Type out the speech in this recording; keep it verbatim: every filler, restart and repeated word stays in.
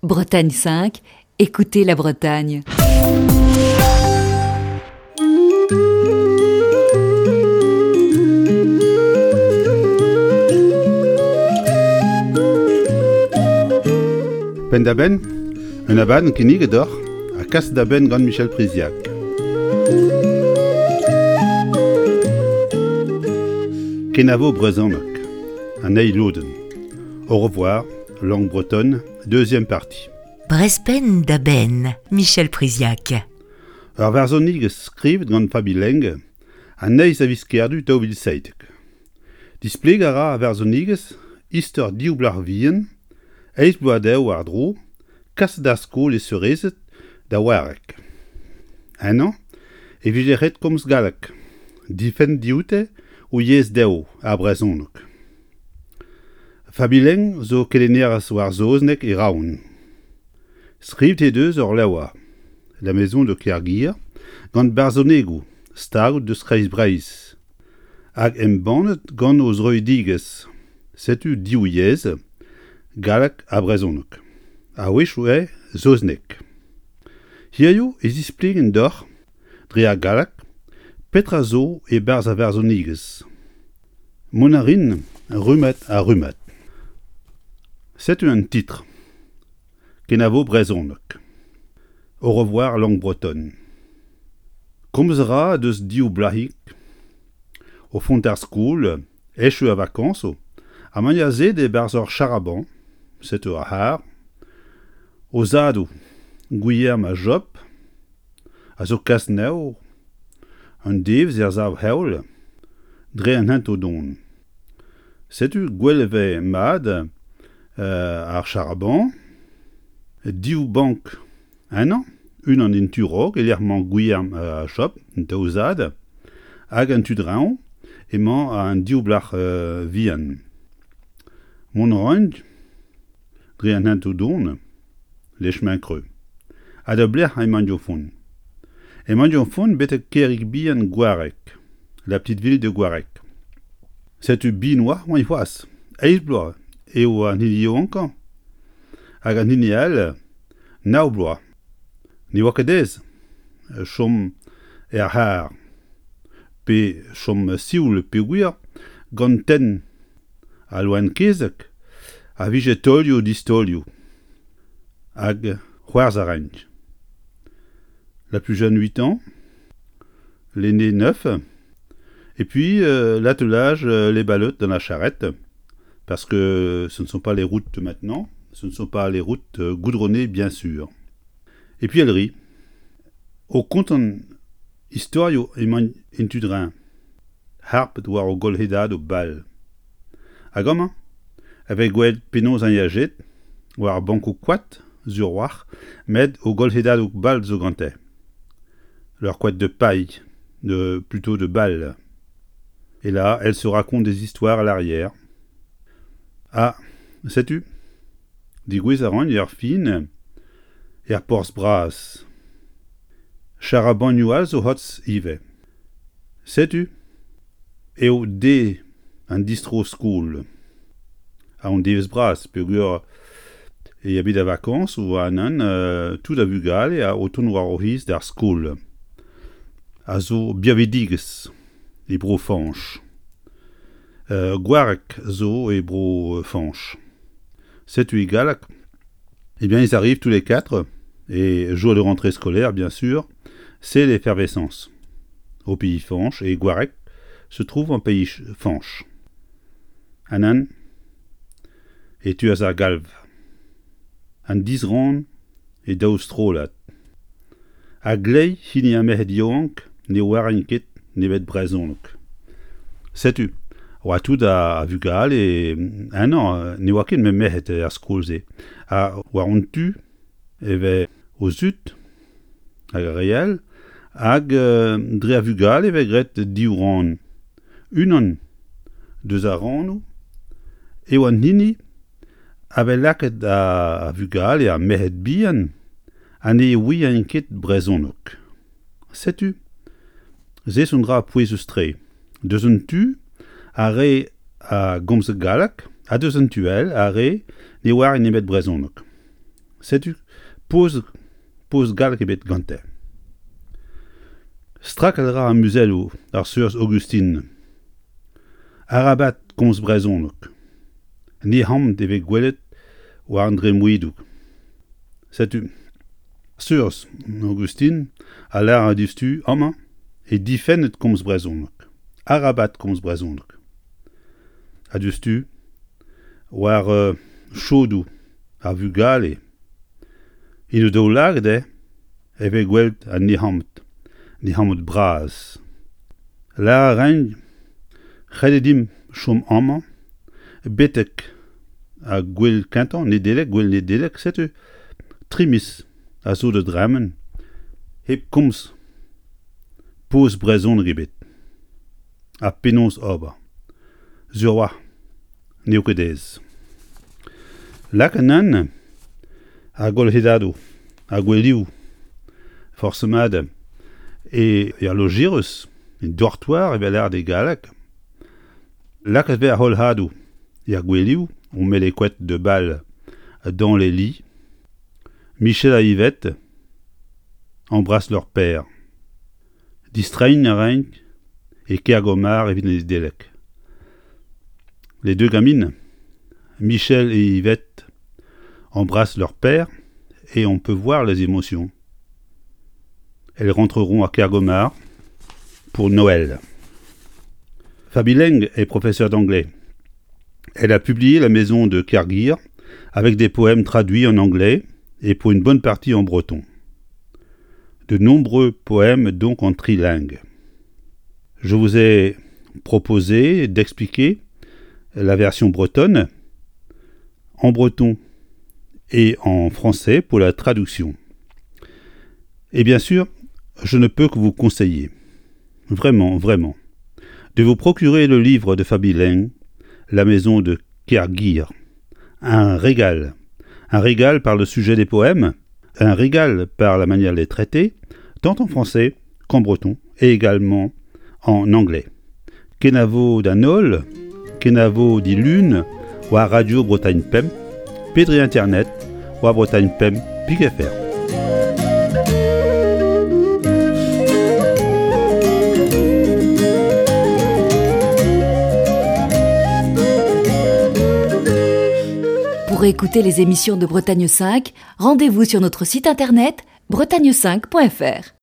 Bretagne cinq, écoutez la Bretagne. Penn-da-benn, un abadenn kinniget deoc'h ha kas da benn gant Michel Priziac. Kenavo brezhoneg, an eil lodenn. Au revoir, langue bretonne, deuxième partie. Brezpenn da benn, Michel Priziac. Ur varzhonigez skrivet gant Fabi Leng an eizh a viz Kerdu daou vil seitek. Displegañ a ra ar varzhonigez istor div blac'h vihan, eizh bloaz dezho war-dro, kaset d'ar skol e seurezed da Wareg. Ennañ e vije ret komz galleg, difenn dioute o yezh dezho, ar brezhoneg. Fabi Leng zo kelennerez war saozneg e Roazhon. Skrivet he deus ur levr, La Maison de Kerguir, gant barzhonegoù staget deus Kreiz Breizh, hag embannet gant o zroidigezh. Setu div yezh, galleg ha brezhoneg. A-wechoù eo saozneg. Hiziv e zisplegin deoc'h, dre ar galleg, petra zo e-barzh ar varzhonigezh. Mont a rin rummad ha rummad. Setu un titr. Kenavo brezhoneg. Au revoir langue bretonne. Komz a ra deus div blac'hig o font ar skol, echu ar vakañsoù, ha ma ya se e-barzh ur charaban, setu ar c'harr, o zadoù, Gwilherm ha Job, a zo kas anezho, un devezh er sav-heol, dre an hentoù-don. Setu gwell e vez mat ar charaban, div bank ennañ, unan en tu raok e-lec'h emañ Gwilherm ha Job, an daou zad, hag en tu draoñ emañ an div blac'h vihan. Mont a raint dre an hentoù-don, les chemins creux. Ha da belec'h emaint o vont. Emaint o vont betek kêrig bihan Gwareg, la petite ville de Gwareg. Setu bihan oa oaint c'hoazh. Eizh bloaz eo an hini yaouankañ hag an hini all nav bloaz. Ne oa ket aes chom er c'harr pe chom sioul peogwir gant tenn al loen-kezeg a vije taolioù distaolioù hag c'hoarzh a raint. La plus jeune huit ans, l'aîné neuf, et puis euh, l'attelage, euh, les ballottes dans la charrette, parce que ce ne sont pas les routes maintenant, ce ne sont pas les routes euh, goudronnées bien sûr. Et puis elle rit. O kontañ istorioù emaint en tu dreñv, harpet war o golc'hedadoù bal. Hag amañ, e vez gwelet penaos an yajet war bankoù koad sur war, met o golc'hedadoù bal zo gante. Leur couette de paille, de, plutôt de balle. Et là, elle se raconte des histoires à l'arrière. Ah, sais-tu Degouezh a ran er fin er porzh bras. Charabanioù all zo c'hoazh ivez. Setu eo deiz an distro-skol. Ha an devezh bras peogwir e ya bet da vakañs war an euh, tout a vugale a o tont war o c'hiz d'ar skol. A zo birvidigezh e bro Fañch. Euh, Gwareg zo e bro Fañch. Setu e galleg. Eh bien, ils arrivent tous les quatre, et jour de rentrée scolaire, bien sûr, c'est l'effervescence. Au pays Fañch, et Gwareg se trouve en pays Fañch. Anan e teuas ar galv. An disrann e daou strollad. A-gleiz hini ar merc'hed yaouank ne oarint ket nemet brezhoneg. Setu, oa tout a vugale ennañ ne oa ket met merc'hed er skol-se. Ha war an tu e vez o zud hag ar re all hag dre ar vugale e vez graet div rann. Unan deus ar rannoù eo an hini a vez lakaet ar vugale ar merc'hed bihan ha ne ouient ket brezhoneg. Setu, se zo un dra pouezus-tre. Deus un tu, ar re a gomz galleg, ha deus un tu all, ar re ne oarint nemet brezhoneg. Setu poz poz gallek ebet gante. Strakal ra ar muzelloù ar seurez Augustine. Arabat komz brezhoneg. Nec'hamant e vez gwelet war an dremmwedoù. Setu seurez Augustine a lâr diouzhtu amañ e difennet komz brezhoneg. Arabat komz brezhoneg. Ha diouzhtu war euh, chodoù ar vugale en o daoulagad eo e vez gwelet an nec'hamant, nec'hamant bras. Lâr a raint ret eo dimp chom amañ betek ar gwel kentañ Nedeleg, gwel Nedeleg, setu tri miz a zo da dremen hep komz poz brezhoneg ebet. Ha penaos ober. Sur oa, n'eo ket aes. Lak an ar golc'hedadoù, ar gwelioù, forzh mat e er lojirus, en dortoir evel lâret e galleg. Lakaet vez ar c'holc'hadoù er gwelioù, on met les couettes de bal dans les lits. Michel ha Yvette embrassent leur père. Distreiñ a raint e Kergomar evit Nedeleg. Les deux gamines, Michel et Yvette, embrassent leur père et on peut voir les émotions. Elles rentreront à Kergomar pour Noël. Fabi Leng est professeure d'anglais. Elle a publié La maison de Kerguir avec des poèmes traduits en anglais et pour une bonne partie en breton. De nombreux poèmes donc en trilingue. Je vous ai proposé d'expliquer la version bretonne en breton et en français pour la traduction. Et bien sûr, je ne peux que vous conseiller, vraiment, vraiment, de vous procurer le livre de Fabi Leng, La maison de Kerguir. Un régal. Un régal par le sujet des poèmes, un régal par la manière de les traiter, tant en français qu'en breton et également en anglais. Kenavo d'an holl, kenavo dilun, war Radio Bretagne Pemp, pe dre internet, war Bretagne Pemp, pik F R. Pour écouter les émissions de Bretagne cinq, rendez-vous sur notre site internet bretagne cinq point F R.